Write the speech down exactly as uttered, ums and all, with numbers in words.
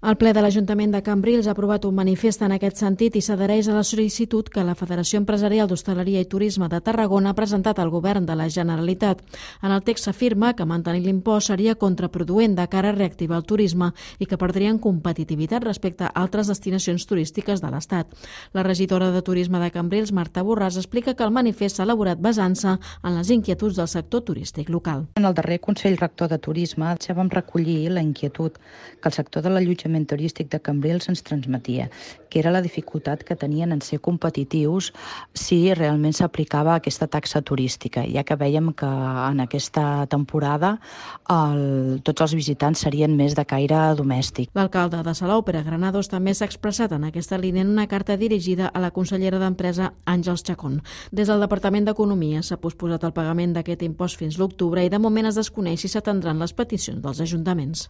El ple de l'Ajuntament de Cambrils ha aprovat un manifest en aquest sentit i s'adhereix a la sol·licitud que la Federació Empresarial d'Hostaleria i Turisme de Tarragona ha presentat al Govern de la Generalitat. En el text s'afirma que mantenir l'impost seria contraproduent de cara a reactivar el turisme i que perdrien competitivitat respecte a altres destinacions turístiques de l'Estat. La regidora de Turisme de Cambrils, Marta Borràs, explica que el manifest s'ha elaborat basant-se en les inquietuds del sector turístic local. En el darrer Consell Rector de Turisme ja vam recollir la inquietud que el sector de l'allotjament turístic de Cambrils ens transmetia, que era la dificultat que tenien en ser competitius si realment s'aplicava aquesta taxa turística, ja que vèiem que en aquesta temporada el, tots els visitants serien més de caire domèstic. L'alcalde de Salou, Pere Granados, també s'ha expressat en aquesta línia en una carta dirigida a la consellera d'Empresa, Àngels Chacón. Des del Departament d'Economia s'ha posposat el pagament d'aquest impost fins l'octubre i de moment es desconeix si s'atendran les peticions dels ajuntaments.